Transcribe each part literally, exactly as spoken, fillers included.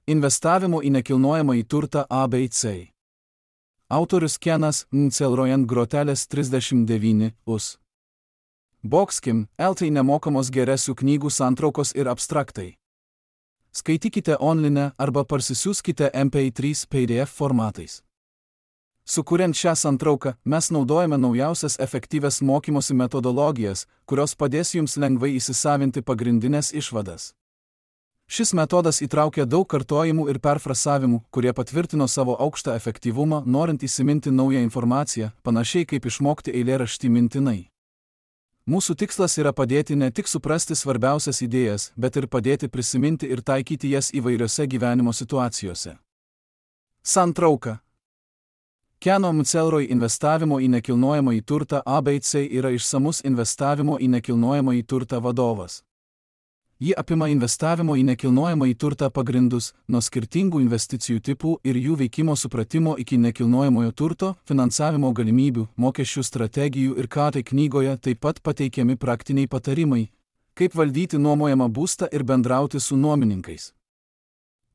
Investavimo į nekilnojamąjį turtą A B C. Autorius Kenas Mcelroyan Groteles trisdešimt devyni us. Boxkim, eltai nemokamos geresių knygų santraukos ir abstraktai. Skaitykite online arba parsisiųskite M P trys P D F formatais. Sukuriant šią santrauką, mes naudojame naujausias efektyvias mokymosi metodologijas, kurios padės jums lengvai įsisavinti pagrindinės išvadas. Šis metodas įtraukia daug kartojimų ir perfrasavimų, kurie patvirtino savo aukštą efektyvumą, norint įsiminti naują informaciją, panašiai kaip išmokti eilėraštį mintinai. Mūsų tikslas yra padėti ne tik suprasti svarbiausias idėjas, bet ir padėti prisiminti ir taikyti jas įvairiose gyvenimo situacijose. Santrauka. Keno Mcelroy investavimo į nekilnojamąjį turtą A B C yra išsamus investavimo į nekilnojamąjį turtą vadovas. Ji apima investavimo į nekilnojamąjį turtą pagrindus, nuo skirtingų investicijų tipų ir jų veikimo supratimo iki nekilnojamojo turto, finansavimo galimybių, mokesčių strategijų ir ką tai knygoje taip pat pateikiami praktiniai patarimai, kaip valdyti nuomojamą būstą ir bendrauti su nuomininkais.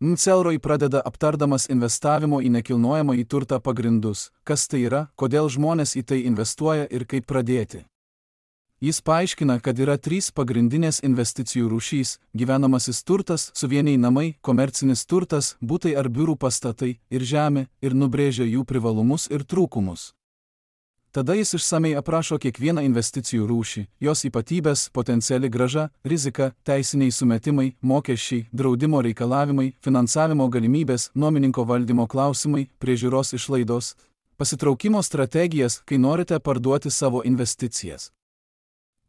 Mcelroy pradeda aptardamas investavimo į nekilnojamąjį turtą pagrindus, kas tai yra, kodėl žmonės į tai investuoja ir kaip pradėti. Jis paaiškina, kad yra trys pagrindinės investicijų rūšys – gyvenamasis turtas, suvieniai namai, komercinis turtas, butai ar biurų pastatai ir žemė ir nubrėžia jų privalumus ir trūkumus. Tada jis išsamei aprašo kiekvieną investicijų rūšį, jos ypatybės, potenciali grąža, rizika, teisiniai sumetimai, mokesčiai, draudimo reikalavimai, finansavimo galimybės, nuomininko valdymo klausimai, priežiūros išlaidos, pasitraukimo strategijas, kai norite parduoti savo investicijas.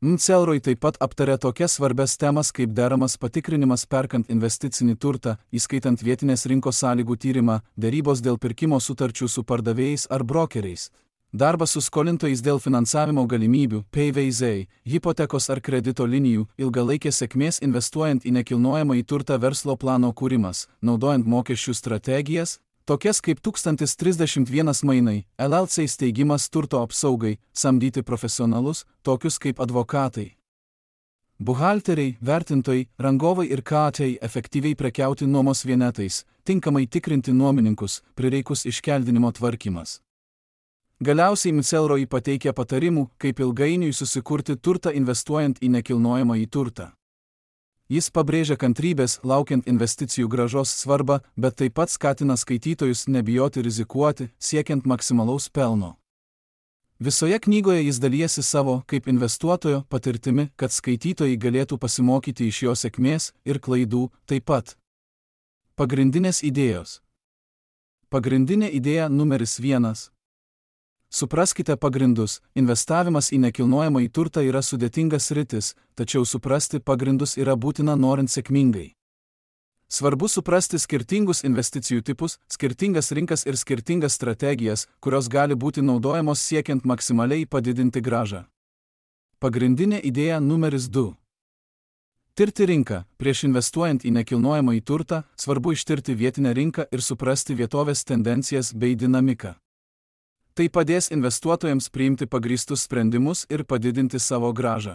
Mcelroy taip pat aptarė tokias svarbias temas kaip deramas patikrinimas perkant investicinį turtą, įskaitant vietinės rinkos sąlygų tyrimą, derybos dėl pirkimo sutarčių su pardavėjais ar brokeriais, darbas su skolintojais dėl finansavimo galimybių, P V Z, hipotekos ar kredito linijų, ilgalaikės sėkmės investuojant į nekilnojamąjį turtą verslo plano kūrimas, naudojant mokesčių strategijas, tokias kaip tūkstantis trisdešimt vienas mainai, L L C steigimas turto apsaugai, samdyti profesionalus, tokius kaip advokatai, buhalteriai, vertintojai, rangovai ir K A T efektyviai prekiauti nuomos vienetais, tinkamai tikrinti nuomininkus, prireikus iškeldinimo tvarkymas. Galiausiai Mcelroy pateikia patarimų, kaip ilgainiui susikurti turtą investuojant į nekilnojamąjį turtą. Jis pabrėžia kantrybės, laukiant investicijų grąžos svarbą, bet taip pat skatina skaitytojus nebijoti rizikuoti, siekiant maksimalaus pelno. Visoje knygoje jis dalijasi savo, kaip investuotojo, patirtimi, kad skaitytojai galėtų pasimokyti iš jo sėkmės ir klaidų taip pat. Pagrindinės idėjos. Pagrindinė idėja numeris vienas. Supraskite pagrindus, investavimas į nekilnojamąjį turtą yra sudėtingas sritis, tačiau suprasti pagrindus yra būtina norint sėkmingai. Svarbu suprasti skirtingus investicijų tipus, skirtingas rinkas ir skirtingas strategijas, kurios gali būti naudojamos siekiant maksimaliai padidinti grąžą. Pagrindinė idėja numeris du. Tirti rinką. Prieš investuojant į nekilnojamąjį turtą, svarbu ištirti vietinę rinką ir suprasti vietovės tendencijas bei dinamiką. Tai padės investuotojams priimti pagrįstus sprendimus ir padidinti savo grąžą.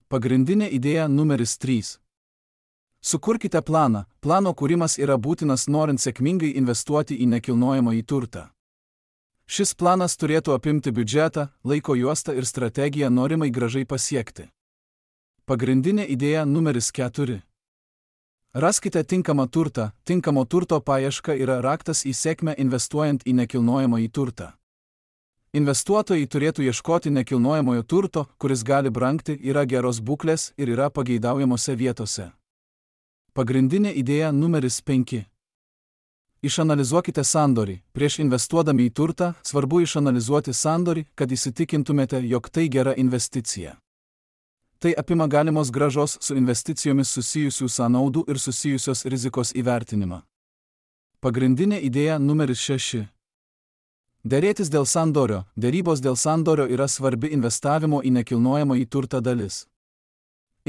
Pagrindinė idėja numeris trys. Sukurkite planą. Plano kūrimas yra būtinas norint sėkmingai investuoti į nekilnojamąjį turtą. Šis planas turėtų apimti biudžetą, laiko juostą ir strategiją norimai grąžai pasiekti. Pagrindinė idėja numeris keturi. Raskite tinkamą turtą. Tinkamo turto paieška yra raktas į sėkmę investuojant į nekilnojamąjį turtą. Investuotojai turėtų ieškoti nekilnojamojo turto, kuris gali brangti, yra geros būklės ir yra pageidaujamose vietose. Pagrindinė idėja numeris penki. Išanalizuokite sandorį. Prieš investuodami į turtą, svarbu išanalizuoti sandorį, kad įsitikintumėte, jog tai gera investicija. Tai apima galimos grąžos su investicijomis susijusių sąnaudų ir susijusios rizikos įvertinimą. Pagrindinė idėja numeris šeši. Derėtis dėl sandorio. Derybos dėl sandorio yra svarbi investavimo į nekilnojamąjį turtą dalis.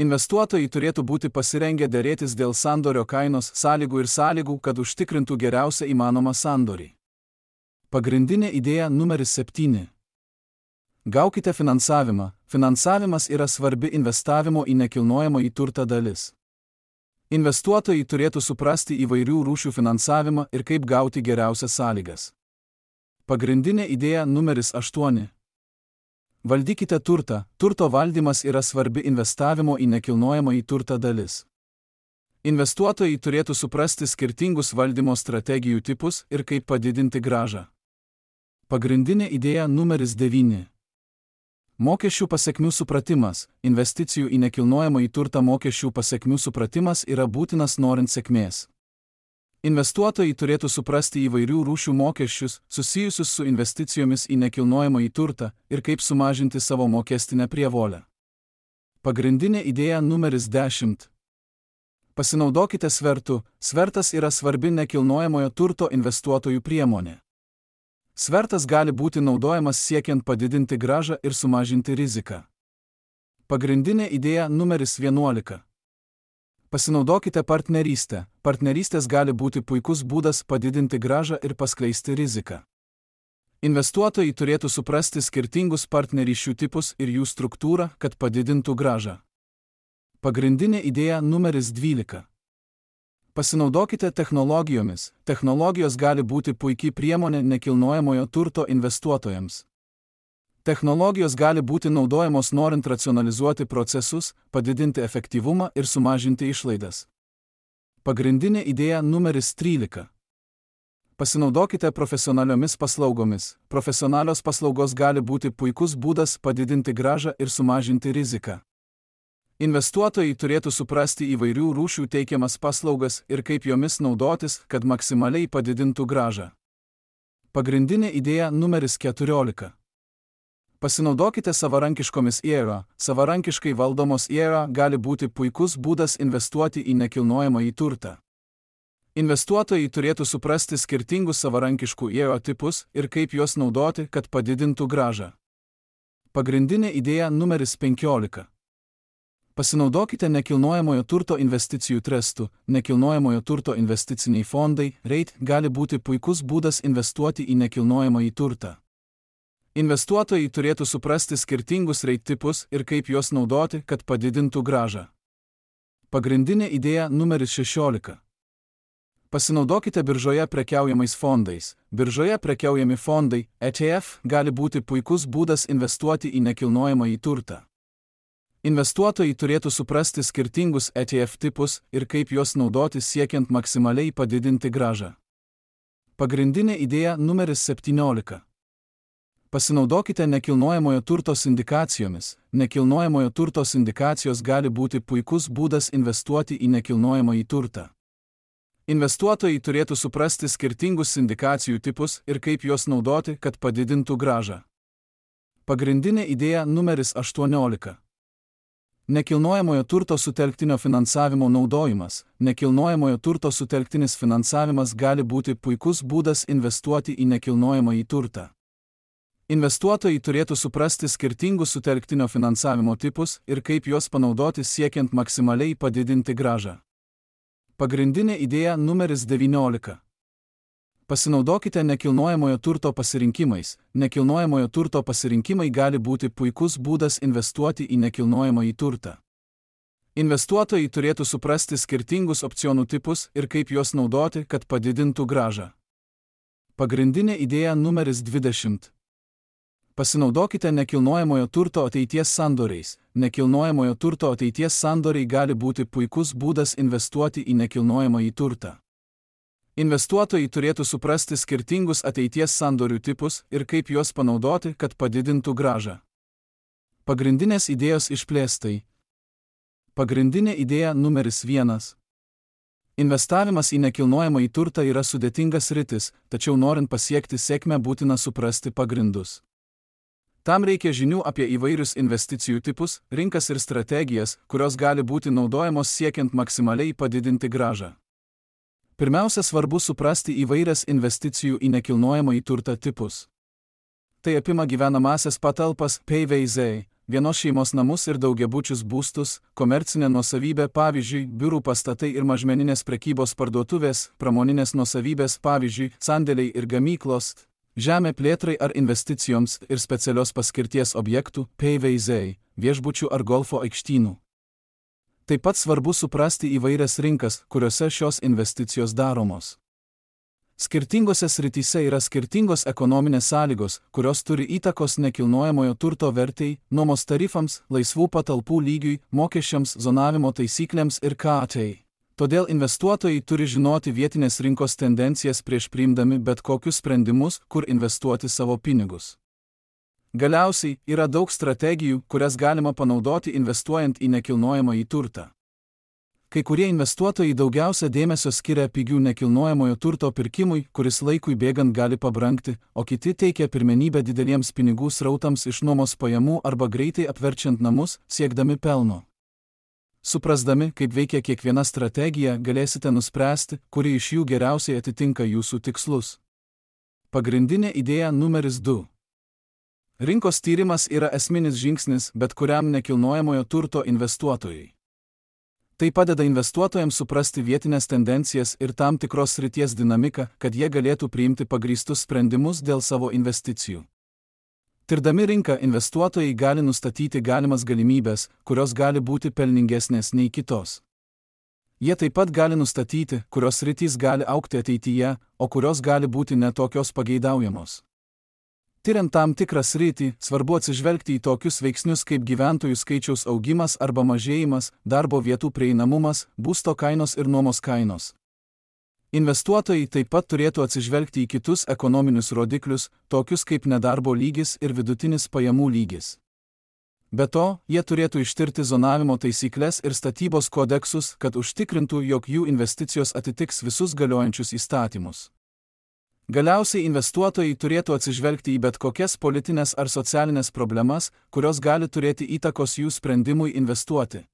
Investuotojai turėtų būti pasirengę derėtis dėl sandorio kainos, sąlygų ir sąlygų, kad užtikrintų geriausią įmanomą sandorį. Pagrindinė idėja numeris septyni. Gaukite finansavimą. Finansavimas yra svarbi investavimo į nekilnojamąjį turtą dalis. Investuotojai turėtų suprasti įvairių rūšių finansavimą ir kaip gauti geriausias sąlygas. Pagrindinė idėja numeris aštuoni. Valdykite turtą. Turto valdymas yra svarbi investavimo į nekilnojamąjį turtą dalis. Investuotojai turėtų suprasti skirtingus valdymo strategijų tipus ir kaip padidinti grąžą. Pagrindinė idėja numeris devyni. Mokesčių pasekmių supratimas. Investicijų į nekilnojamąjį turtą mokesčių pasekmių supratimas yra būtinas norint sėkmės. Investuotojai turėtų suprasti įvairių rūšių mokesčius, susijusius su investicijomis į nekilnojamąjį turtą ir kaip sumažinti savo mokestinę prievolę. Pagrindinė idėja numeris dešimt. Pasinaudokite svertu. Svertas yra svarbi nekilnojamojo turto investuotojų priemonė. Svertas gali būti naudojamas siekiant padidinti grąžą ir sumažinti riziką. Pagrindinė idėja numeris vienuolika. Pasinaudokite partnerystę. Partnerystės gali būti puikus būdas padidinti grąžą ir paskleisti riziką. Investuotojai turėtų suprasti skirtingus partnerysčių tipus ir jų struktūrą, kad padidintų grąžą. Pagrindinė idėja numeris dvylika. Pasinaudokite technologijomis. Technologijos gali būti puikiai priemonė nekilnojamojo turto investuotojams. Technologijos gali būti naudojamos norint racionalizuoti procesus, padidinti efektyvumą ir sumažinti išlaidas. Pagrindinė idėja numeris trylika. Pasinaudokite profesionaliomis paslaugomis. Profesionalios paslaugos gali būti puikus būdas padidinti grąžą ir sumažinti riziką. Investuotojai turėtų suprasti įvairių rūšių teikiamas paslaugas ir kaip jomis naudotis, kad maksimaliai padidintų grąžą. Pagrindinė idėja numeris keturiolika. Pasinaudokite savarankiškomis I R A. Savarankiškai valdomos I R A gali būti puikus būdas investuoti į nekilnojamąjį turtą. Investuotojai turėtų suprasti skirtingus savarankiškų I R A tipus ir kaip juos naudoti, kad padidintų grąžą. Pagrindinė idėja numeris penkiolika. Pasinaudokite nekilnojamojo turto investicijų trestų. Nekilnojamojo turto investiciniai fondai, REIT, gali būti puikus būdas investuoti į nekilnojamąjį turtą. Investuotojai turėtų suprasti skirtingus REIT tipus ir kaip juos naudoti, kad padidintų grąžą. Pagrindinė idėja numeris šešiolika. Pasinaudokite biržoje prekiaujamais fondais. Biržoje prekiaujami fondai, E T F, gali būti puikus būdas investuoti į nekilnojamąjį turtą. Investuotojai turėtų suprasti skirtingus E T F tipus ir kaip juos naudoti siekiant maksimaliai padidinti grąžą. Pagrindinė idėja numeris septyniolika. Pasinaudokite nekilnojamojo turto sindikacijomis. Nekilnojamojo turto sindikacijos gali būti puikus būdas investuoti į nekilnojamąjį turtą. Investuotojai turėtų suprasti skirtingus sindikacijų tipus ir kaip juos naudoti, kad padidintų grąžą. Pagrindinė idėja numeris aštuoniolika. Nekilnojamojo turto sutelktinio finansavimo naudojimas. Nekilnojamojo turto sutelktinis finansavimas gali būti puikus būdas investuoti į nekilnojamąjį turtą. Investuotojai turėtų suprasti skirtingus sutelktinio finansavimo tipus ir kaip juos panaudoti siekiant maksimaliai padidinti grąžą. Pagrindinė idėja numeris devyniolika. Pasinaudokite nekilnojamojo turto pasirinkimais. Nekilnojamojo turto pasirinkimai gali būti puikus būdas investuoti į nekilnojamąjį turtą. Investuotojai turėtų suprasti skirtingus opcionų tipus ir kaip juos naudoti, kad padidintų grąžą. Pagrindinė idėja numeris dvidešimt. Pasinaudokite nekilnojamojo turto ateities sandoriais. Nekilnojamojo turto ateities sandoriai gali būti puikus būdas investuoti į nekilnojamąjį turtą. Investuotojai turėtų suprasti skirtingus ateities sandorių tipus ir kaip juos panaudoti, kad padidintų grąžą. Pagrindinės idėjos išplėstai. Pagrindinė idėja numeris vienas. Investavimas į nekilnojamąjį turtą yra sudėtingas sritis, tačiau norint pasiekti sėkmę būtina suprasti pagrindus. Tam reikia žinių apie įvairius investicijų tipus, rinkas ir strategijas, kurios gali būti naudojamos siekiant maksimaliai padidinti grąžą. Pirmiausia, svarbu suprasti įvairias investicijų į nekilnojamąjį turtą tipus. Tai apima gyvenamąsias patalpas, P V Z, vienos šeimos namus ir daugiabučius būstus, komercinę nuosavybę, pavyzdžiui, biurų pastatai ir mažmeninės prekybos parduotuvės, pramoninės nuosavybės, pavyzdžiui, sandėliai ir gamyklos, žemė plėtrai ar investicijoms ir specialios paskirties objektų, P V Z, viešbučių ar golfo aikštynų. Taip pat svarbu suprasti įvairias rinkas, kuriuose šios investicijos daromos. Skirtingose srityse yra skirtingos ekonominės sąlygos, kurios turi įtakos nekilnojamojo turto vertei, nuomos tarifams, laisvų patalpų lygiui, mokesčiams, zonavimo taisyklėms ir K A T. Todėl investuotojai turi žinoti vietinės rinkos tendencijas prieš priimdami bet kokius sprendimus, kur investuoti savo pinigus. Galiausiai, yra daug strategijų, kurias galima panaudoti investuojant į nekilnojamąjį turtą. Kai kurie investuotojai daugiausia dėmesio skiria pigių nekilnojamojo turto pirkimui, kuris laikui bėgant gali pabrangti, o kiti teikia pirmenybę dideliems pinigų srautams iš nuomos pajamų arba greitai apverčiant namus, siekdami pelno. Suprasdami, kaip veikia kiekviena strategija, galėsite nuspręsti, kuri iš jų geriausiai atitinka jūsų tikslus. Pagrindinė idėja numeris du. Rinkos tyrimas yra esminis žingsnis bet kuriam nekilnojamojo turto investuotojui. Tai padeda investuotojams suprasti vietinės tendencijas ir tam tikros srities dinamiką, kad jie galėtų priimti pagrįstus sprendimus dėl savo investicijų. Tirdami rinką, investuotojai gali nustatyti galimas galimybės, kurios gali būti pelningesnės nei kitos. Jie taip pat gali nustatyti, kurios sritys gali augti ateityje, o kurios gali būti netokios pageidaujamos. Tiriant tam tikrą sritį, svarbu atsižvelgti į tokius veiksnius kaip gyventojų skaičiaus augimas arba mažėjimas, darbo vietų prieinamumas, būsto kainos ir nuomos kainos. Investuotojai taip pat turėtų atsižvelgti į kitus ekonominius rodiklius, tokius kaip nedarbo lygis ir vidutinis pajamų lygis. Be to, jie turėtų ištirti zonavimo taisykles ir statybos kodeksus, kad užtikrintų, jog jų investicijos atitiks visus galiojančius įstatymus. Galiausiai investuotojai turėtų atsižvelgti į bet kokias politinės ar socialinės problemas, kurios gali turėti įtakos jų sprendimui investuoti.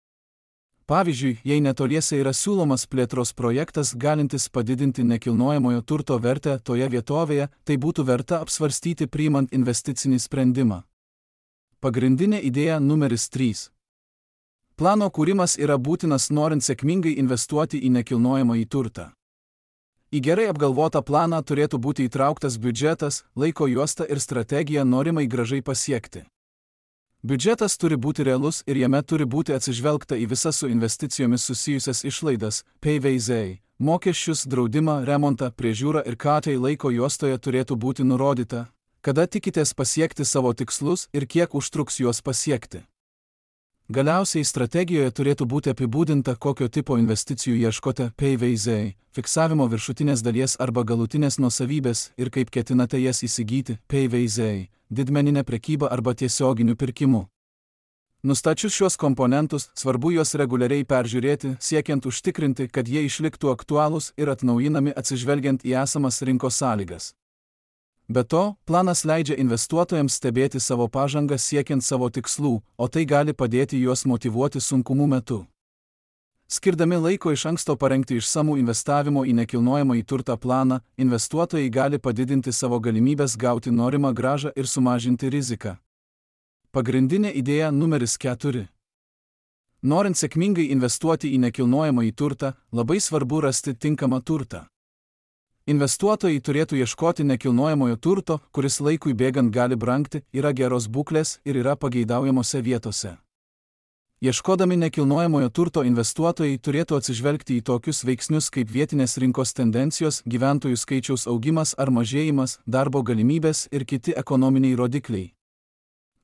Pavyzdžiui, jei netoliese yra siūlomas plėtros projektas galintis padidinti nekilnojamojo turto vertę toje vietovėje, tai būtų verta apsvarstyti priimant investicinį sprendimą. Pagrindinė idėja numeris trys. Plano kūrimas yra būtinas norint sėkmingai investuoti į nekilnojamąjį turtą. Į gerai apgalvotą planą turėtų būti įtrauktas biudžetas, laiko juosta ir strategija norimai gražai pasiekti. Biudžetas turi būti realus ir jame turi būti atsižvelgta į visas su investicijomis susijusias išlaidas, P V Z, mokesčius, draudimą, remontą, priežiūrą ir K A T laiko juostoje turėtų būti nurodyta, kada tikitės pasiekti savo tikslus ir kiek užtruks juos pasiekti. Galiausiai strategijoje turėtų būti apibūdinta, kokio tipo investicijų ieškote, P V Z, fiksavimo viršutinės dalies arba galutinės nuosavybės ir kaip ketinate jas įsigyti, P V Z, didmeninę prekybą arba tiesioginiu pirkimu. Nustačius šios komponentus, svarbu juos reguliariai peržiūrėti, siekiant užtikrinti, kad jie išliktų aktualūs ir atnaujinami atsižvelgiant į esamas rinkos sąlygas. Be to, planas leidžia investuotojams stebėti savo pažangą siekiant savo tikslų, o tai gali padėti juos motyvuoti sunkumų metu. Skirdami laiko iš anksto parengti išsamų investavimo į nekilnojamąjį turtą planą, investuotojai gali padidinti savo galimybės gauti norimą grąžą ir sumažinti riziką. Pagrindinė idėja numeris keturi. Norint sėkmingai investuoti į nekilnojamąjį turtą, labai svarbu rasti tinkamą turtą. Investuotojai turėtų ieškoti nekilnojamojo turto, kuris laikui bėgant gali brangti, yra geros būklės ir yra pageidaujamose vietose. Ieškodami nekilnojamojo turto investuotojai turėtų atsižvelgti į tokius veiksnius kaip vietinės rinkos tendencijos, gyventojų skaičiaus augimas ar mažėjimas, darbo galimybės ir kiti ekonominiai rodikliai.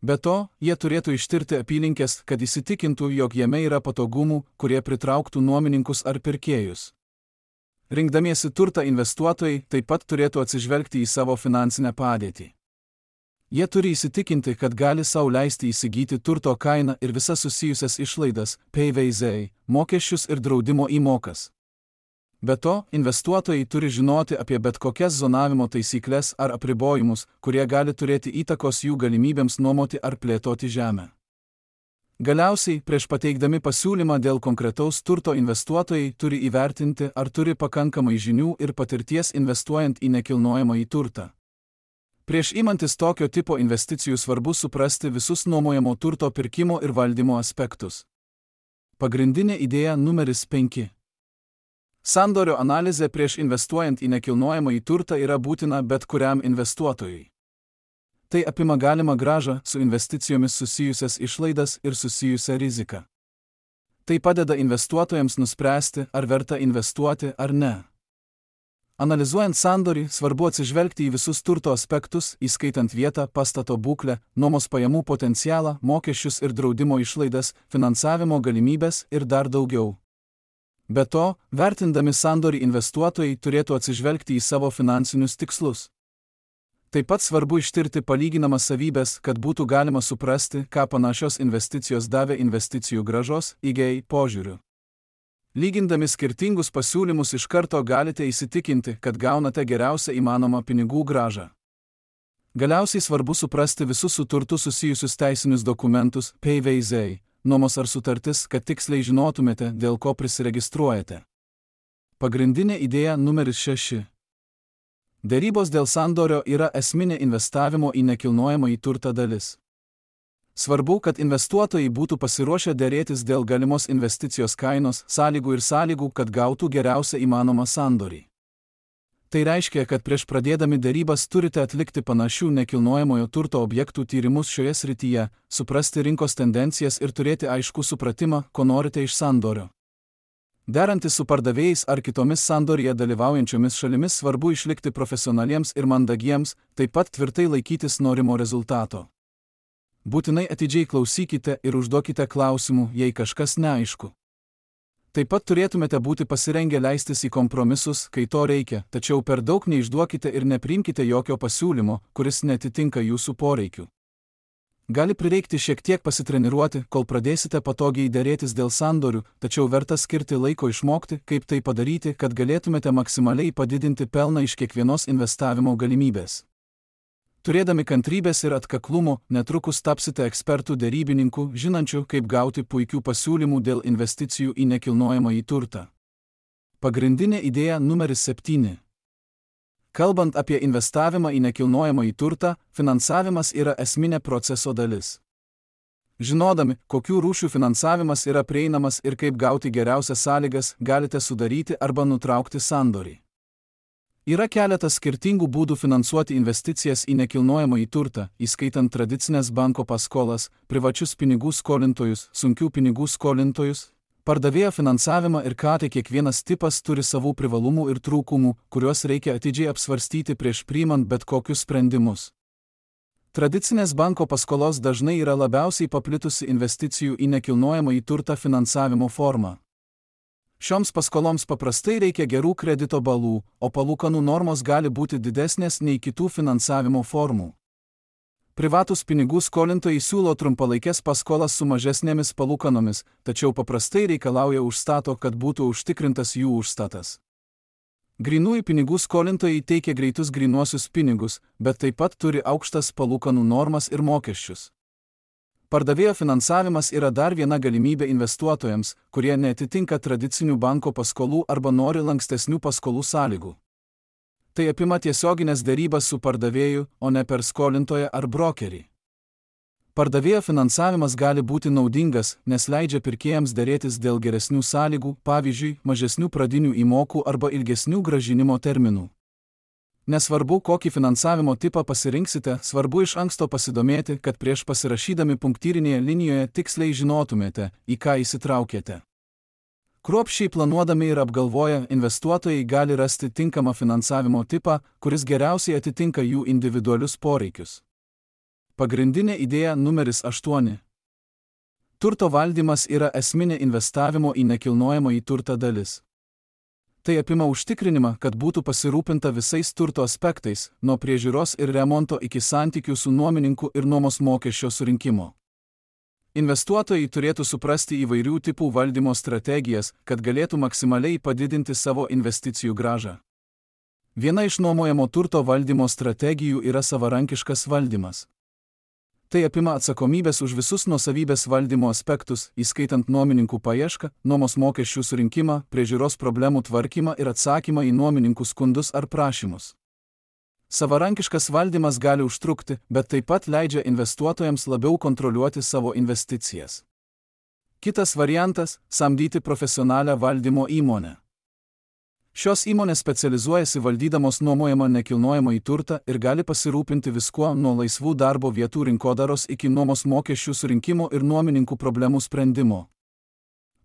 Be to, jie turėtų ištirti apylinkes, kad įsitikintų, jog jame yra patogumų, kurie pritrauktų nuomininkus ar pirkėjus. Rinkdamiesi turtą investuotojai taip pat turėtų atsižvelgti į savo finansinę padėtį. Jie turi įsitikinti, kad gali sau leisti įsigyti turto kainą ir visas susijusias išlaidas, P V Z, mokesčius ir draudimo įmokas. Be to, investuotojai turi žinoti apie bet kokias zonavimo taisyklės ar apribojimus, kurie gali turėti įtakos jų galimybėms nuomoti ar plėtoti žemę. Galiausiai, prieš pateikdami pasiūlymą dėl konkretaus turto investuotojai turi įvertinti, ar turi pakankamai žinių ir patirties investuojant į nekilnojamąjį turtą. Prieš imantis tokio tipo investicijų svarbu suprasti visus nuomojamo turto pirkimo ir valdymo aspektus. Pagrindinė idėja numeris penki. Sandorio analizė prieš investuojant į nekilnojamąjį turtą yra būtina bet kuriam investuotojui. Tai apima galimą grąžą su investicijomis susijusias išlaidas ir susijusią riziką. Tai padeda investuotojams nuspręsti, ar verta investuoti ar ne. Analizuojant sandorį, svarbu atsižvelgti į visus turto aspektus, įskaitant vietą, pastato būklę, nuomos pajamų potencialą, mokesčius ir draudimo išlaidas, finansavimo galimybės ir dar daugiau. Be to, vertindami sandorį investuotojai turėtų atsižvelgti į savo finansinius tikslus. Taip pat svarbu ištirti palyginamas savybės, kad būtų galima suprasti, ką panašios investicijos davė investicijų grąžos, I G A požiūriu. Lygindami skirtingus pasiūlymus iš karto galite įsitikinti, kad gaunate geriausią įmanomą pinigų grąžą. Galiausiai svarbu suprasti visus su turtu susijusius teisinius dokumentus, P V Z, nuomos ar sutartis, kad tiksliai žinotumėte, dėl ko prisiregistruojate. Pagrindinė idėja numeris šeši. Derybos dėl sandorio yra esminė investavimo į nekilnojamąjį turtą dalis. Svarbu, kad investuotojai būtų pasiruošę derėtis dėl galimos investicijos kainos, sąlygų ir sąlygų, kad gautų geriausią įmanomą sandorį. Tai reiškia, kad prieš pradėdami derybas turite atlikti panašių nekilnojamojo turto objektų tyrimus šioje srityje, suprasti rinkos tendencijas ir turėti aiškų supratimą, ko norite iš sandorio. Derantis su pardavėjais ar kitomis sandorėje dalyvaujančiomis šalimis svarbu išlikti profesionaliems ir mandagiems, taip pat tvirtai laikytis norimo rezultato. Būtinai atidžiai klausykite ir užduokite klausimų, jei kažkas neaišku. Taip pat turėtumėte būti pasirengę leistis į kompromisus, kai to reikia, tačiau per daug neišduokite ir nepriimkite jokio pasiūlymo, kuris netitinka jūsų poreikių. Gali prireikti šiek tiek pasitreniruoti, kol pradėsite patogiai derėtis dėl sandorių, tačiau verta skirti laiko išmokti, kaip tai padaryti, kad galėtumėte maksimaliai padidinti pelną iš kiekvienos investavimo galimybės. Turėdami kantrybės ir atkaklumo, netrukus tapsite ekspertų derybininkų, žinančių, kaip gauti puikių pasiūlymų dėl investicijų į nekilnojamąjį turtą. Pagrindinė idėja numeris septyni. Kalbant apie investavimą į nekilnojamąjį turtą, finansavimas yra esminė proceso dalis. Žinodami, kokių rūšių finansavimas yra prieinamas ir kaip gauti geriausias sąlygas, galite sudaryti arba nutraukti sandorį. Yra keletas skirtingų būdų finansuoti investicijas į nekilnojamąjį turtą, įskaitant tradicinės banko paskolas, privačius pinigų skolintojus, sunkių pinigų skolintojus, pardavėjo finansavimą ir ką tai kiekvienas tipas turi savų privalumų ir trūkumų, kuriuos reikia atidžiai apsvarstyti prieš priimant bet kokius sprendimus. Tradicinės banko paskolos dažnai yra labiausiai paplitusi investicijų į nekilnojamąjį turtą finansavimo forma. Šioms paskoloms paprastai reikia gerų kredito balų, o palūkanų normos gali būti didesnės nei kitų finansavimo formų. Privatūs pinigų skolintojai siūlo trumpalaikės paskolas su mažesnėmis palūkanomis, tačiau paprastai reikalauja užstato, kad būtų užtikrintas jų užstatas. Grynųjų pinigų skolintojai teikia greitus grynuosius pinigus, bet taip pat turi aukštas palūkanų normas ir mokesčius. Pardavėjo finansavimas yra dar viena galimybė investuotojams, kurie neatitinka tradicinių banko paskolų arba nori lankstesnių paskolų sąlygų. Tai apima tiesioginės derybas su pardavėju, o ne per skolintoją ar brokerį. Pardavėjo finansavimas gali būti naudingas, nes leidžia pirkėjams derėtis dėl geresnių sąlygų, pavyzdžiui, mažesnių pradinių įmokų arba ilgesnių grąžinimo terminų. Nesvarbu, kokį finansavimo tipą pasirinksite, svarbu iš anksto pasidomėti, kad prieš pasirašydami punktyrinėje linijoje tiksliai žinotumėte, į ką įsitraukėte. Kruopščiai planuodami ir apgalvoję, investuotojai gali rasti tinkamą finansavimo tipą, kuris geriausiai atitinka jų individualius poreikius. Pagrindinė idėja numeris aštuoni. Turto valdymas yra esminė investavimo į nekilnojamąjį turtą dalis. Tai apima užtikrinimą, kad būtų pasirūpinta visais turto aspektais, nuo priežiūros ir remonto iki santykių su nuomininku ir nuomos mokesčio surinkimo. Investuotojai turėtų suprasti įvairių tipų valdymo strategijas, kad galėtų maksimaliai padidinti savo investicijų grąžą. Viena iš nuomojamo turto valdymo strategijų yra savarankiškas valdymas. Tai apima atsakomybės už visus nuosavybės valdymo aspektus, įskaitant nuomininkų paiešką, nuomos mokesčių surinkimą, priežiūros problemų tvarkymą ir atsakymą į nuomininkų skundus ar prašymus. Savarankiškas valdymas gali užtrukti, bet taip pat leidžia investuotojams labiau kontroliuoti savo investicijas. Kitas variantas – samdyti profesionalią valdymo įmonę. Šios įmonės specializuojasi valdydamos nuomojamą nekilnojamąjį turtą ir gali pasirūpinti viskuo nuo laisvų darbo vietų rinkodaros iki nuomos mokesčių surinkimo ir nuomininkų problemų sprendimo.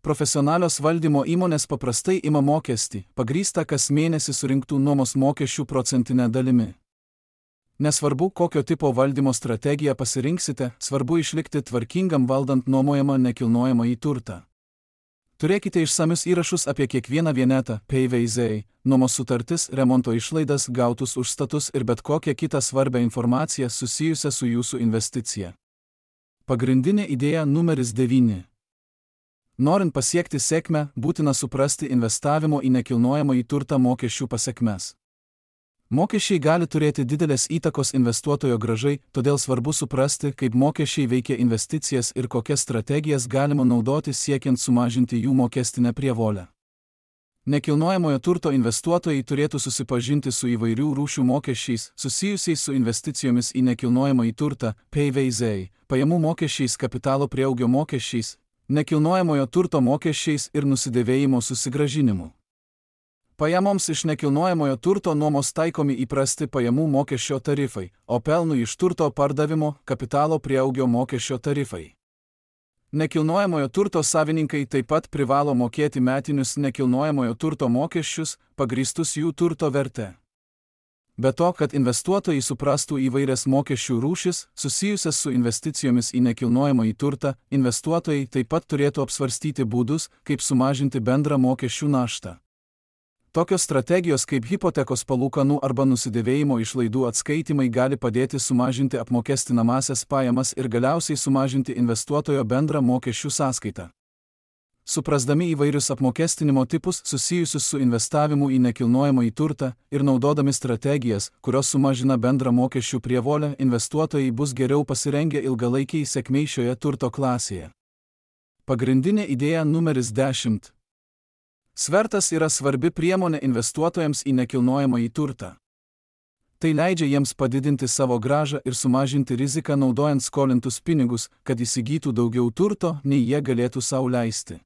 Profesionalios valdymo įmonės paprastai ima mokestį, pagrįstą kas mėnesį surinktų nuomos mokesčių procentinę dalimi. Nesvarbu, kokio tipo valdymo strategiją pasirinksite, svarbu išlikti tvarkingam valdant nuomojamą nekilnojamąjį turtą. Turėkite išsamius įrašus apie kiekvieną vienetą, P V Z, nuomos sutartis, remonto išlaidas, gautus užstatus ir bet kokią kitą svarbią informaciją susijusią su jūsų investicija. Pagrindinė idėja numeris devyni. Norint pasiekti sėkmę, būtina suprasti investavimo į nekilnojamąjį turtą mokesčių pasekmes. Mokesčiai gali turėti didelės įtakos investuotojo grąžai, todėl svarbu suprasti, kaip mokesčiai veikia investicijas ir kokias strategijas galima naudoti siekiant sumažinti jų mokestinę prievolę. Nekilnojamojo turto investuotojai turėtų susipažinti su įvairių rūšių mokesčiais, susijusiais su investicijomis į nekilnojamąjį turtą, P V Z, pajamų mokesčiais, kapitalo prieaugio mokesčiais, nekilnojamojo turto mokesčiais ir nusidėvėjimo susigrąžinimu. Pajamoms iš nekilnojamojo turto nuomos taikomi įprasti pajamų mokesčio tarifai, o pelnui iš turto pardavimo kapitalo prieaugio mokesčio tarifai. Nekilnojamojo turto savininkai taip pat privalo mokėti metinius nekilnojamojo turto mokesčius, pagrįstus jų turto verte. Be to, kad investuotojai suprastų įvairias mokesčių rūšis, susijusias su investicijomis į nekilnojamąjį turtą, investuotojai taip pat turėtų apsvarstyti būdus, kaip sumažinti bendrą mokesčių naštą. Tokios strategijos kaip hipotekos palūkanų arba nusidėvėjimo išlaidų atskaitimai gali padėti sumažinti apmokestinamąsias pajamas ir galiausiai sumažinti investuotojo bendrą mokesčių sąskaitą. Suprasdami įvairius apmokestinimo tipus susijusius su investavimu į nekilnojamąjį turtą ir naudodami strategijas, kurios sumažina bendrą mokesčių prievolę, investuotojai bus geriau pasirengę ilgalaikiai sėkmei šioje turto klasėje. Pagrindinė idėja numeris dešimt. Svertas yra svarbi priemonė investuotojams į nekilnojamąjį turtą. Tai leidžia jiems padidinti savo grąžą ir sumažinti riziką naudojant skolintus pinigus, kad įsigytų daugiau turto, nei jie galėtų sau leisti.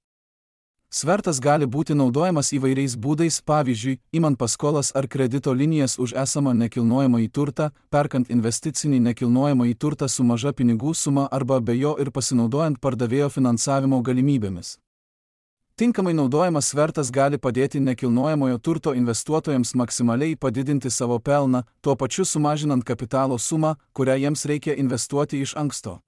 Svertas gali būti naudojamas įvairiais būdais, pavyzdžiui, imant paskolas ar kredito linijas už esamą nekilnojamąjį turtą, perkant investicinį nekilnojamąjį turtą su maža pinigų suma arba be jo ir pasinaudojant pardavėjo finansavimo galimybėmis. Tinkamai naudojamas svertas gali padėti nekilnojamojo turto investuotojams maksimaliai padidinti savo pelną, tuo pačiu sumažinant kapitalo sumą, kurią jiems reikia investuoti iš anksto.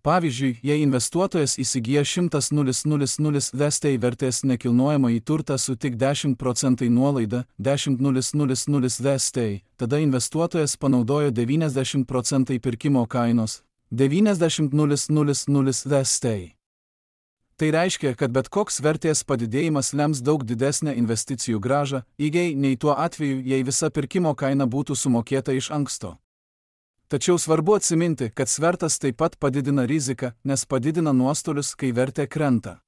Pavyzdžiui, jei investuotojas įsigyja šimtas tūkstančių V S T vertės nekilnojamąjį turtą su tik dešimt procentų nuolaida, dešimt tūkstančių V S T, tada investuotojas panaudojo devyniasdešimt procentų pirkimo kainos, devyniasdešimt tūkstančių V S T. Tai reiškia, kad bet koks vertės padidėjimas lems daug didesnę investicijų grąžą, įgiai nei tuo atveju, jei visa pirkimo kaina būtų sumokėta iš anksto. Tačiau svarbu atsiminti, kad svertas taip pat padidina riziką, nes padidina nuostolius, kai vertė krenta.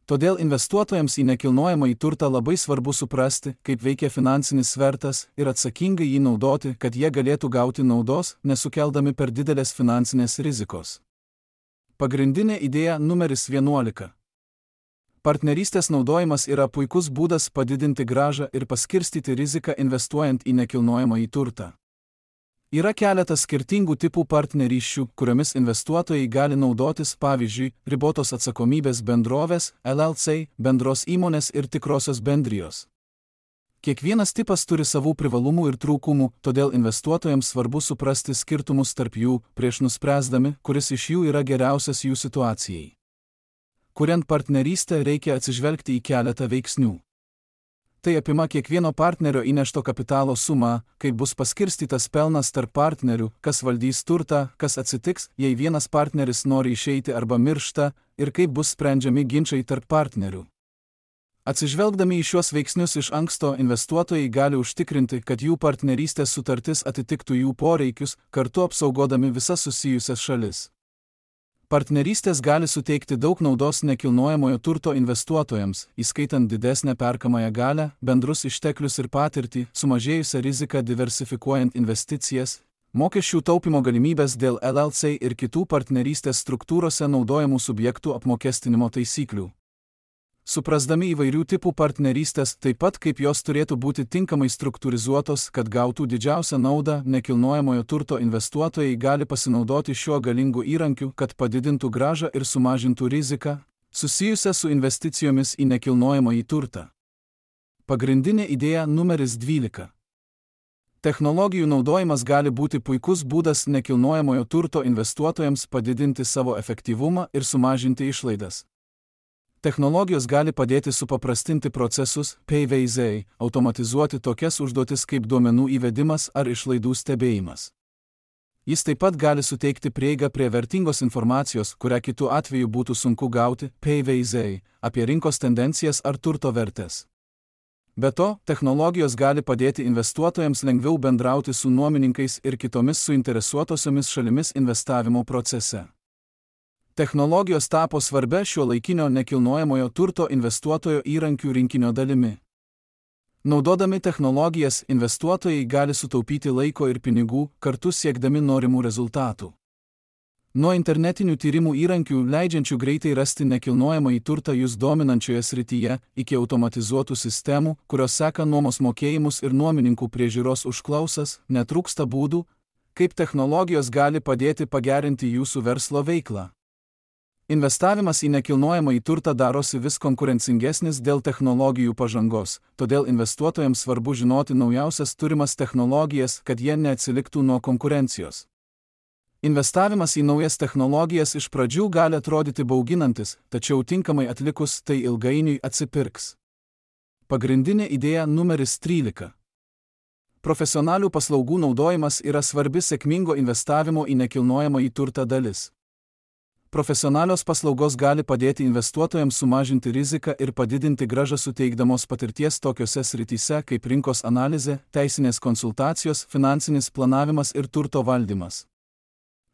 Todėl investuotojams į nekilnojamąjį turtą labai svarbu suprasti, kaip veikia finansinis svertas ir atsakingai jį naudoti, kad jie galėtų gauti naudos, nesukeldami per didelės finansinės rizikos. Pagrindinė idėja numeris vienuolika. Partnerystės naudojimas yra puikus būdas padidinti grąžą ir paskirstyti riziką investuojant į nekilnojamąjį turtą. Yra keletas skirtingų tipų partnerysčių, kuriomis investuotojai gali naudotis, pavyzdžiui, ribotos atsakomybės bendrovės, L L C, bendros įmonės ir tikrosios bendrijos. Kiekvienas tipas turi savų privalumų ir trūkumų, todėl investuotojams svarbu suprasti skirtumus tarp jų, prieš nuspręsdami, kuris iš jų yra geriausias jų situacijai. Kuriant partnerystę reikia atsižvelgti į keletą veiksnių. Tai apima kiekvieno partnerio įnešto kapitalo sumą, kaip bus paskirstytas pelnas tarp partnerių, kas valdys turtą, kas atsitiks, jei vienas partneris nori išeiti arba miršta, ir kaip bus sprendžiami ginčai tarp partnerių. Atsižvelgdami į šiuos veiksnius iš anksto, investuotojai gali užtikrinti, kad jų partnerystės sutartis atitiktų jų poreikius, kartu apsaugodami visas susijusias šalis. Partnerystės gali suteikti daug naudos nekilnojamojo turto investuotojams, įskaitant didesnę perkamąją galią, bendrus išteklius ir patirtį, sumažėjusią riziką diversifikuojant investicijas, mokesčių taupimo galimybės dėl L L C ir kitų partnerystės struktūrose naudojamų subjektų apmokestinimo taisyklių. Suprasdami įvairių tipų partnerystės, taip pat kaip jos turėtų būti tinkamai struktūrizuotos, kad gautų didžiausią naudą, nekilnojamojo turto investuotojai gali pasinaudoti šiuo galingu įrankiu, kad padidintų grąžą ir sumažintų riziką, susijusią su investicijomis į nekilnojamąjį turtą. Pagrindinė idėja numeris dvylika. Technologijų naudojimas gali būti puikus būdas nekilnojamojo turto investuotojams padidinti savo efektyvumą ir sumažinti išlaidas. Technologijos gali padėti supaprastinti procesus, P V Z, automatizuoti tokias užduotis kaip duomenų įvedimas ar išlaidų stebėjimas. Jis taip pat gali suteikti prieigą prie vertingos informacijos, kurią kitu atveju būtų sunku gauti, P V Z, apie rinkos tendencijas ar turto vertės. Be to, technologijos gali padėti investuotojams lengviau bendrauti su nuomininkais ir kitomis suinteresuotosiomis šalimis investavimo procese. Technologijos tapo svarbia šiuolaikinio nekilnojamojo turto investuotojo įrankių rinkinio dalimi. Naudodami technologijas, investuotojai gali sutaupyti laiko ir pinigų, kartu siekdami norimų rezultatų. Nuo internetinių tyrimų įrankių, leidžiančių greitai rasti nekilnojamąjį turtą jus dominančioje srityje, iki automatizuotų sistemų, kurios seka nuomos mokėjimus ir nuomininkų priežiūros užklausas, netrūksta būdų, kaip technologijos gali padėti pagerinti jūsų verslo veiklą. Investavimas į nekilnojamąjį turtą darosi vis konkurencingesnis dėl technologijų pažangos, todėl investuotojams svarbu žinoti naujausias turimas technologijas, kad jie neatsiliktų nuo konkurencijos. Investavimas į naujas technologijas iš pradžių gali atrodyti bauginantis, tačiau tinkamai atlikus tai ilgainiui atsipirks. Pagrindinė idėja numeris trylika. Profesionalių paslaugų naudojimas yra svarbi sėkmingo investavimo į nekilnojamąjį turtą dalis. Profesionalios paslaugos gali padėti investuotojams sumažinti riziką ir padidinti grąžą suteikdamos patirties tokiose srityse kaip rinkos analizė, teisinės konsultacijos, finansinis planavimas ir turto valdymas.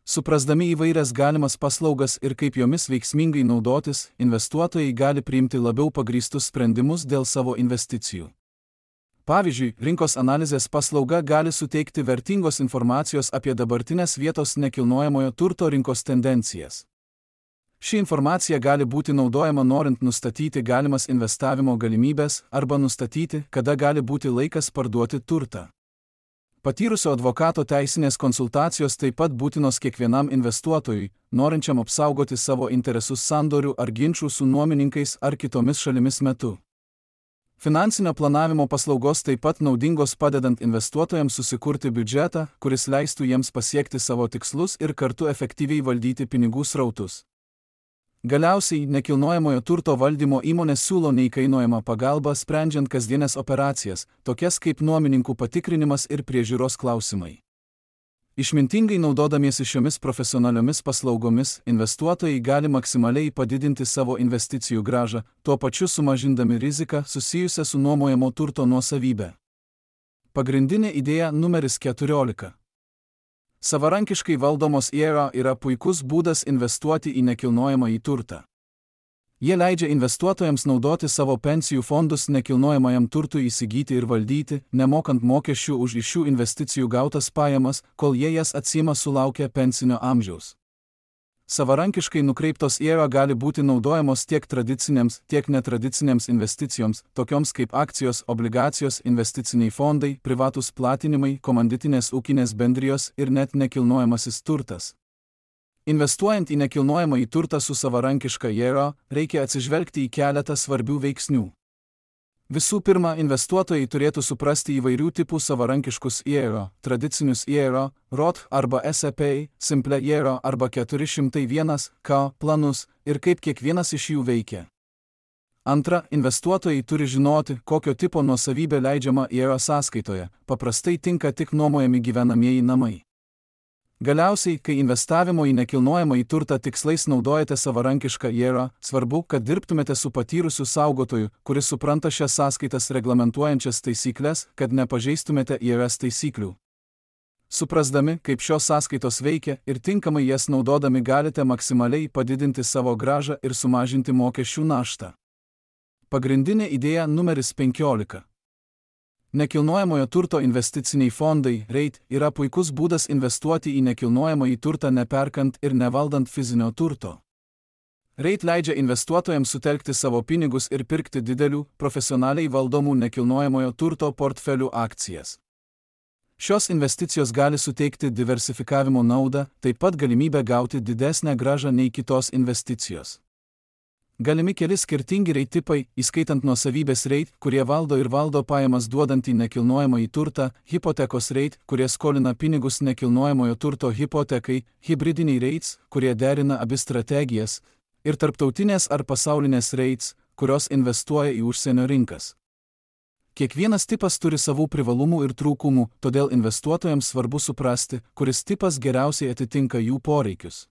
Suprasdami įvairias galimas paslaugas ir kaip jomis veiksmingai naudotis, investuotojai gali priimti labiau pagrįstus sprendimus dėl savo investicijų. Pavyzdžiui, rinkos analizės paslauga gali suteikti vertingos informacijos apie dabartinės vietos nekilnojamojo turto rinkos tendencijas. Ši informacija gali būti naudojama norint nustatyti galimas investavimo galimybės arba nustatyti, kada gali būti laikas parduoti turtą. Patyrusio advokato teisinės konsultacijos taip pat būtinos kiekvienam investuotojui, norinčiam apsaugoti savo interesus sandorių ar ginčų su nuomininkais ar kitomis šalimis metu. Finansinio planavimo paslaugos taip pat naudingos padedant investuotojams susikurti biudžetą, kuris leistų jiems pasiekti savo tikslus ir kartu efektyviai valdyti pinigų srautus. Galiausiai, nekilnojamojo turto valdymo įmonės siūlo neįkainojamą pagalbą sprendžiant kasdienės operacijas, tokias kaip nuomininkų patikrinimas ir priežiūros klausimai. Išmintingai naudodamiesi šiomis profesionaliomis paslaugomis, investuotojai gali maksimaliai padidinti savo investicijų grąžą, tuo pačiu sumažindami riziką susijusią su nuomojamo turto nuosavybė. Pagrindinė idėja numeris keturiolika. Savarankiškai valdomos I R A yra puikus būdas investuoti į nekilnojamąjį turtą. Jie leidžia investuotojams naudoti savo pensijų fondus nekilnojamajam turtui įsigyti ir valdyti, nemokant mokesčių už iš šių investicijų gautas pajamas, kol jie jas atsiima sulaukę pensinio amžiaus. Savarankiškai nukreiptos I R A gali būti naudojamos tiek tradicinėms, tiek netradicinėms investicijoms, tokioms kaip akcijos, obligacijos, investiciniai fondai, privatūs platinimai, komanditinės ūkinės bendrijos ir net nekilnojamasis turtas. Investuojant į nekilnojamąjį turtą su savarankiška I R A, reikia atsižvelgti į keletą svarbių veiksnių. Visų pirma, investuotojai turėtų suprasti įvairių tipų savarankiškus I R A, tradicinius I R A, Roth arba S E P, Simple I R A arba keturi šimtai vienas K planus ir kaip kiekvienas iš jų veikia. Antra, investuotojai turi žinoti, kokio tipo nuosavybė leidžiama I R A sąskaitoje, paprastai tinka tik nuomojami gyvenamieji namai. Galiausiai, kai investavimo į nekilnojamąjį turtą tikslais naudojate savarankišką I R A, svarbu, kad dirbtumėte su patyrusiu saugotoju, kuris supranta šias sąskaitas reglamentuojančias taisyklės, kad nepažeistumėte I R S taisyklių. Suprasdami, kaip šios sąskaitos veikia ir tinkamai jas naudodami galite maksimaliai padidinti savo grąžą ir sumažinti mokesčių naštą. Pagrindinė idėja numeris penkiolika. Nekilnojamojo turto investiciniai fondai, REIT, yra puikus būdas investuoti į nekilnojamąjį turtą neperkant ir nevaldant fizinio turto. REIT leidžia investuotojams sutelkti savo pinigus ir pirkti didelių, profesionaliai valdomų nekilnojamojo turto portfelių akcijas. Šios investicijos gali suteikti diversifikavimo naudą, taip pat galimybę gauti didesnę grąžą nei kitos investicijos. Galimi keli skirtingi reit tipai, įskaitant nuosavybės reit, kurie valdo ir valdo pajamas duodantį nekilnojamąjį turtą, hipotekos reit, kurie skolina pinigus nekilnojamojo turto hipotekai, hibridiniai reits, kurie derina abi strategijas, ir tarptautinės ar pasaulinės reits, kurios investuoja į užsienio rinkas. Kiekvienas tipas turi savų privalumų ir trūkumų, todėl investuotojams svarbu suprasti, kuris tipas geriausiai atitinka jų poreikius.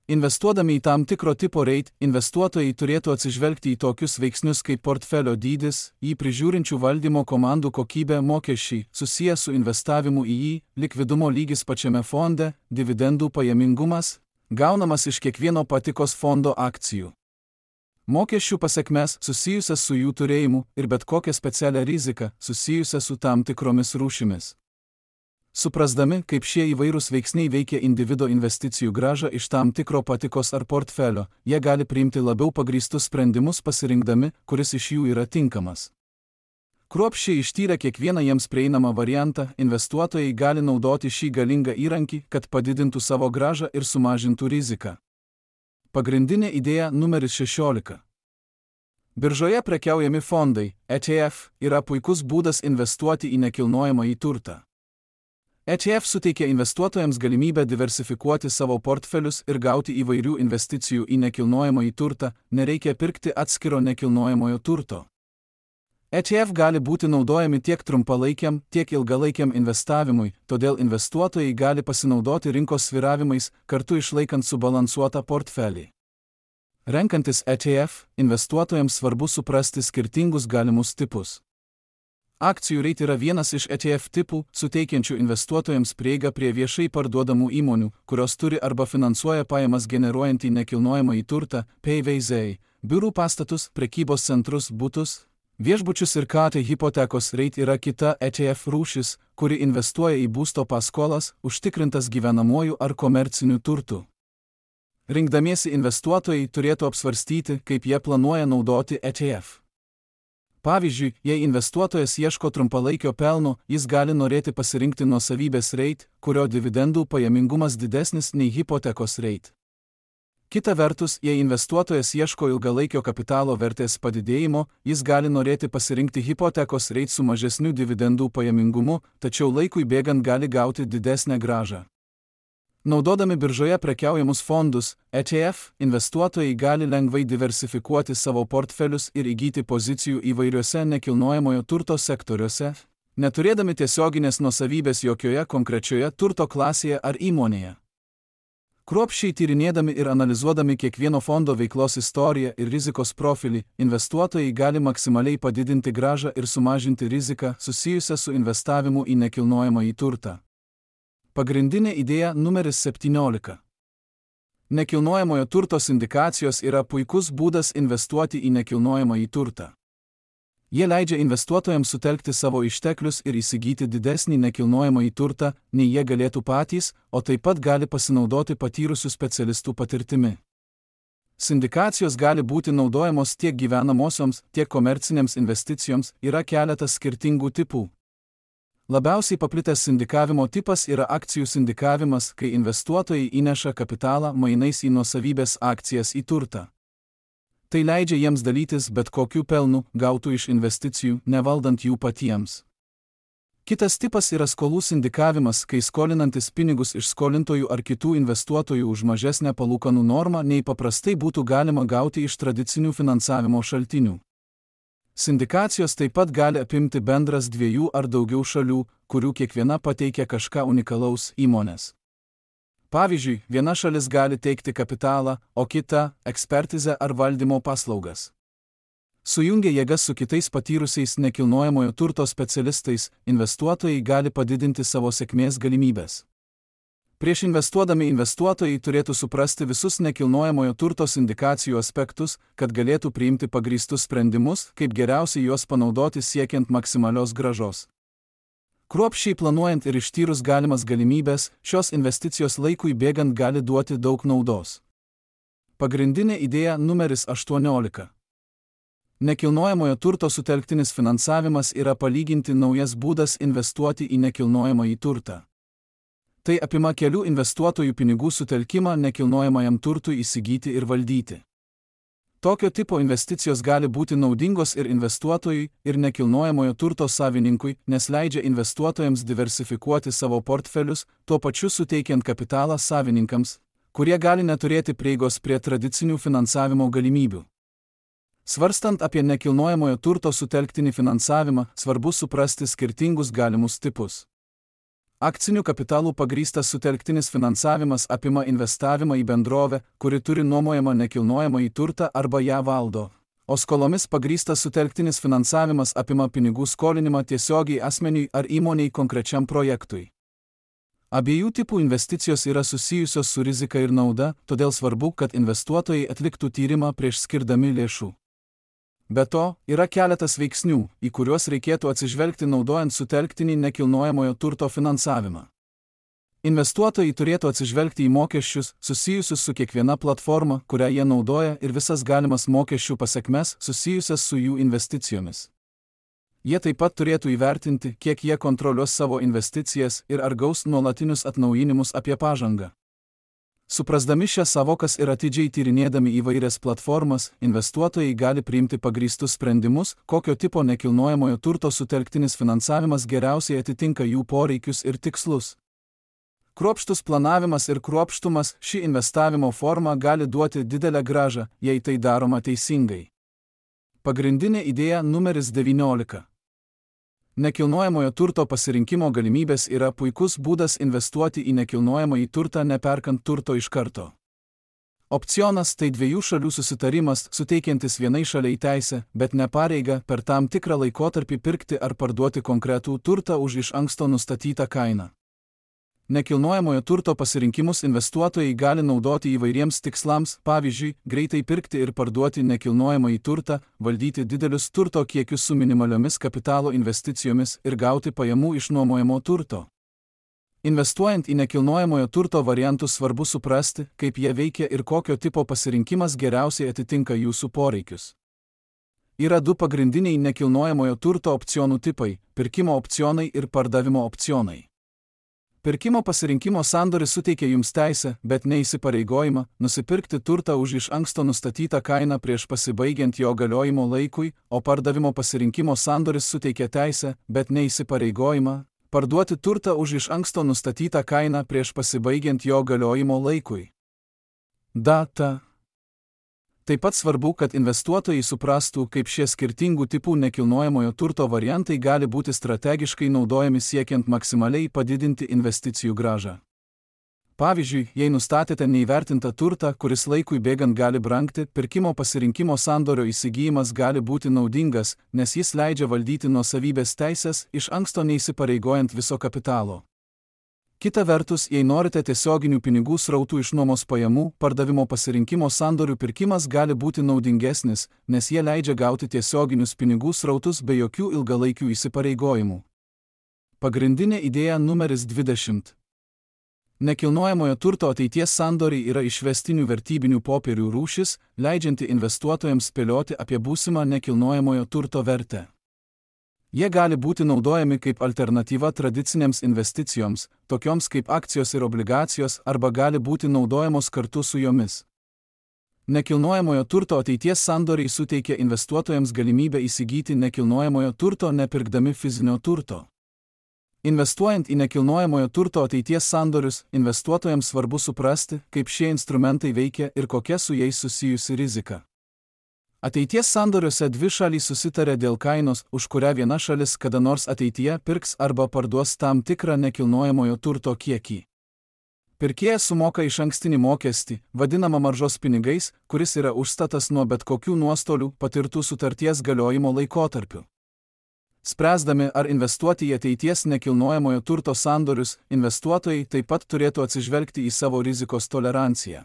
Investuodami į tam tikro tipo reit, investuotojai turėtų atsižvelgti į tokius veiksnius kaip portfelio dydis, jį prižiūrinčių valdymo komandų kokybė, mokesčiai, susiję su investavimu į jį, likvidumo lygis pačiame fonde, dividendų pajamingumas, gaunamas iš kiekvieno patikos fondo akcijų. Mokesčių pasekmes susijusias su jų turėjimu ir bet kokią specialią riziką susijusią su tam tikromis rūšimis. Suprasdami, kaip šie įvairūs veiksniai veikia individo investicijų grąžą iš tam tikro patikos ar portfelio, jie gali priimti labiau pagrįstus sprendimus pasirinkdami, kuris iš jų yra tinkamas. Kruopščiai ištyrę kiekvieną jiems prieinamą variantą, investuotojai gali naudoti šį galingą įrankį, kad padidintų savo grąžą ir sumažintų riziką. Pagrindinė idėja numeris šešiolika. Biržoje prekiaujami fondai, E T F, yra puikus būdas investuoti į nekilnojamąjį turtą. E T F suteikia investuotojams galimybę diversifikuoti savo portfelius ir gauti įvairių investicijų į nekilnojamąjį turtą, nereikia pirkti atskiro nekilnojamojo turto. E T F gali būti naudojami tiek trumpalaikiam, tiek ilgalaikiam investavimui, todėl investuotojai gali pasinaudoti rinkos svyravimais, kartu išlaikant subalansuotą portfelį. Renkantis E T F, investuotojams svarbu suprasti skirtingus galimus tipus. Akcijų reit yra vienas iš E T F tipų, suteikiančių investuotojams prieigą prie viešai parduodamų įmonių, kurios turi arba finansuoja pajamas generuojantį nekilnojamąjį turtą, P V Z, biurų pastatus, prekybos centrus, butus, viešbučius ir K T hipotekos reit yra kita E T F rūšis, kuri investuoja į būsto paskolas, užtikrintas gyvenamuoju ar komerciniu turtu. Rinkdamiesi investuotojai turėtų apsvarstyti, kaip jie planuoja naudoti E T F. Pavyzdžiui, jei investuotojas ieško trumpalaikio pelno, jis gali norėti pasirinkti nuosavybės reit, kurio dividendų pajamingumas didesnis nei hipotekos reit. Kita vertus, jei investuotojas ieško ilgalaikio kapitalo vertės padidėjimo, jis gali norėti pasirinkti hipotekos reit su mažesniu dividendų pajamingumu, tačiau laikui bėgant gali gauti didesnę grąžą. Naudodami biržoje prekiaujamus fondus, E T F, investuotojai gali lengvai diversifikuoti savo portfelius ir įgyti pozicijų įvairiuose nekilnojamojo turto sektoriuose, neturėdami tiesioginės nuosavybės jokioje konkrečioje turto klasėje ar įmonėje. Kruopščiai tyrinėdami ir analizuodami kiekvieno fondo veiklos istoriją ir rizikos profilį, investuotojai gali maksimaliai padidinti grąžą ir sumažinti riziką susijusią su investavimu į nekilnojamąjį turtą. Pagrindinė idėja numeris septyniolika. Nekilnojamojo turto sindikacijos yra puikus būdas investuoti į nekilnojamąjį turtą. Jie leidžia investuotojams sutelkti savo išteklius ir įsigyti didesnį nekilnojamąjį turtą, nei jie galėtų patys, o taip pat gali pasinaudoti patyrusių specialistų patirtimi. Sindikacijos gali būti naudojamos tiek gyvenamosioms, tiek komercinėms investicijoms, yra keletas skirtingų tipų. Labiausiai paplitęs sindikavimo tipas yra akcijų sindikavimas, kai investuotojai įneša kapitalą mainais į nuosavybės akcijas į turtą. Tai leidžia jiems dalytis bet kokiu pelnu, gautų iš investicijų, nevaldant jų patiems. Kitas tipas yra skolų sindikavimas, kai skolinantis pinigus iš skolintojų ar kitų investuotojų už mažesnę palūkanų normą, nei paprastai būtų galima gauti iš tradicinių finansavimo šaltinių. Sindikacijos taip pat gali apimti bendras dviejų ar daugiau šalių, kurių kiekviena pateikia kažką unikalaus įmonės. Pavyzdžiui, viena šalis gali teikti kapitalą, o kita – ekspertizę ar valdymo paslaugas. Sujungę jėgas su kitais patyrusiais nekilnojamojo turto specialistais, investuotojai gali padidinti savo sėkmės galimybės. Prieš investuodami investuotojai turėtų suprasti visus nekilnojamojo turto sindikacijų aspektus, kad galėtų priimti pagrįstus sprendimus, kaip geriausiai juos panaudoti siekiant maksimalios grąžos. Kruopščiai planuojant ir ištyrus galimas galimybės, šios investicijos laikui bėgant gali duoti daug naudos. Pagrindinė idėja numeris aštuoniolika. Nekilnojamojo turto sutelktinis finansavimas yra palyginti naujas būdas investuoti į nekilnojamąjį turtą. Tai apima kelių investuotojų pinigų sutelkimą nekilnojamajam turtui įsigyti ir valdyti. Tokio tipo investicijos gali būti naudingos ir investuotojui, ir nekilnojamojo turto savininkui, nes leidžia investuotojams diversifikuoti savo portfelius, tuo pačiu suteikiant kapitalą savininkams, kurie gali neturėti prieigos prie tradicinių finansavimo galimybių. Svarstant apie nekilnojamojo turto sutelktinį finansavimą, svarbu suprasti skirtingus galimus tipus. Akcinių kapitalų pagrįstas sutelktinis finansavimas apima investavimą į bendrovę, kuri turi nuomojamą nekilnojamąjį turtą arba ją valdo. O skolomis pagrįstas sutelktinis finansavimas apima pinigų skolinimą tiesiogiai asmeniui ar įmonei konkrečiam projektui. Abiejų tipų investicijos yra susijusios su rizika ir nauda, todėl svarbu, kad investuotojai atliktų tyrimą prieš skirdami lėšų. Be to, yra keletas veiksnių, į kuriuos reikėtų atsižvelgti naudojant sutelktinį nekilnojamojo turto finansavimą. Investuotojai turėtų atsižvelgti į mokesčius, susijusius su kiekviena platforma, kurią jie naudoja, ir visas galimas mokesčių pasekmes susijusias su jų investicijomis. Jie taip pat turėtų įvertinti, kiek jie kontroliuos savo investicijas ir ar gaus nuolatinius atnaujinimus apie pažangą. Suprasdami šias savokas ir atidžiai tyrinėdami įvairias platformas, investuotojai gali priimti pagrįstus sprendimus, kokio tipo nekilnojamojo turto sutelktinis finansavimas geriausiai atitinka jų poreikius ir tikslus. Kruopštus planavimas ir kruopštumas ši investavimo forma gali duoti didelę grąžą, jei tai daroma teisingai. Pagrindinė idėja numeris devyniolika. Nekilnojamojo turto pasirinkimo galimybės yra puikus būdas investuoti į nekilnojamąjį turtą neperkant turto iš karto. Opcionas tai dviejų šalių susitarimas, suteikiantis vienai šaliai teisę, bet ne pareigą per tam tikrą laikotarpį pirkti ar parduoti konkretų turtą už iš anksto nustatytą kainą. Nekilnojamojo turto pasirinkimus investuotojai gali naudoti įvairiems tikslams, pavyzdžiui, greitai pirkti ir parduoti nekilnojamąjį turtą, valdyti didelius turto kiekius su minimaliomis kapitalo investicijomis ir gauti pajamų iš nuomojamo turto. Investuojant į nekilnojamojo turto variantus svarbu suprasti, kaip jie veikia ir kokio tipo pasirinkimas geriausiai atitinka jūsų poreikius. Yra du pagrindiniai nekilnojamojo turto opcionų tipai – pirkimo opcionai ir pardavimo opcionai. Pirkimo pasirinkimo sandoris suteikia jums teisę, bet neįsipareigojimą, nusipirkti turtą už iš anksto nustatytą kainą prieš pasibaigiant jo galiojimo laikui, o pardavimo pasirinkimo sandoris suteikia teisę, bet neįsipareigojimą, parduoti turtą už iš anksto nustatytą kainą prieš pasibaigiant jo galiojimo laikui. Data. Taip pat svarbu, kad investuotojai suprastų, kaip šie skirtingų tipų nekilnojamojo turto variantai gali būti strategiškai naudojami siekiant maksimaliai padidinti investicijų grąžą. Pavyzdžiui, jei nustatėte neįvertintą turtą, kuris laikui bėgant gali brangti, pirkimo pasirinkimo sandorio įsigijimas gali būti naudingas, nes jis leidžia valdyti nuosavybės teises, iš anksto neįsipareigojant viso kapitalo. Kita vertus, jei norite tiesioginių pinigų srautų iš nuomos pajamų, pardavimo pasirinkimo sandorių pirkimas gali būti naudingesnis, nes jie leidžia gauti tiesioginius pinigų srautus be jokių ilgalaikių įsipareigojimų. Pagrindinė idėja numeris dvidešimt. Nekilnojamojo turto ateities sandoriai yra išvestinių vertybinių popierių rūšis, leidžianti investuotojams spėlioti apie būsimą nekilnojamojo turto vertę. Jie gali būti naudojami kaip alternatyva tradicinėms investicijoms, tokioms kaip akcijos ir obligacijos, arba gali būti naudojamos kartu su jomis. Nekilnojamojo turto ateities sandoriai suteikia investuotojams galimybę įsigyti nekilnojamojo turto nepirkdami fizinio turto. Investuojant į nekilnojamojo turto ateities sandorius, investuotojams svarbu suprasti, kaip šie instrumentai veikia ir kokia su jais susijusi rizika. Ateities sandoriuose dvi šalys susitarė dėl kainos, už kurią viena šalis kada nors ateityje pirks arba parduos tam tikrą nekilnojamojo turto kiekį. Pirkėjas sumoka išankstinį mokestį, vadinamą maržos pinigais, kuris yra užstatas nuo bet kokių nuostolių patirtų sutarties galiojimo laikotarpiu. Spręsdami, ar investuoti į ateities nekilnojamojo turto sandorius, investuotojai taip pat turėtų atsižvelgti į savo rizikos toleranciją.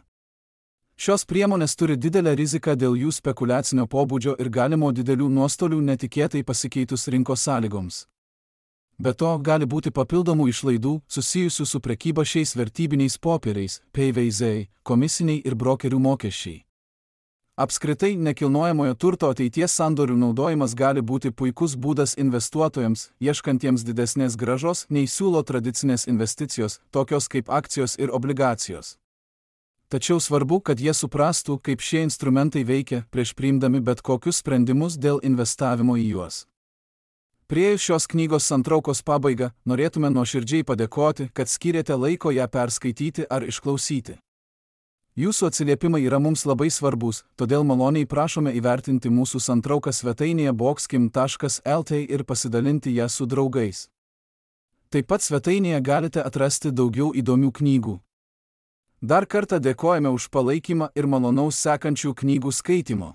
Šios priemonės turi didelę riziką dėl jų spekuliacinio pobūdžio ir galimo didelių nuostolių netikėtai pasikeitus rinkos sąlygoms. Be to, gali būti papildomų išlaidų susijusių su prekyba šiais vertybiniais popieriais, P V Z, komisiniai ir brokerių mokesčiai. Apskritai, nekilnojamojo turto ateities sandorių naudojimas gali būti puikus būdas investuotojams, ieškantiems didesnės grąžos, nei siūlo tradicinės investicijos, tokios kaip akcijos ir obligacijos. Tačiau svarbu, kad jie suprastų, kaip šie instrumentai veikia prieš priimdami bet kokius sprendimus dėl investavimo į juos. Priėjus šios knygos santraukos pabaigą, norėtume nuoširdžiai padėkoti, kad skyrėte laiko ją perskaityti ar išklausyti. Jūsų atsiliepimai yra mums labai svarbus, todėl maloniai prašome įvertinti mūsų santrauką svetainėje boxkim taškas el t ir pasidalinti ją su draugais. Taip pat svetainėje galite atrasti daugiau įdomių knygų. Dar kartą dėkojame už palaikymą ir malonaus sekančių knygų skaitimo.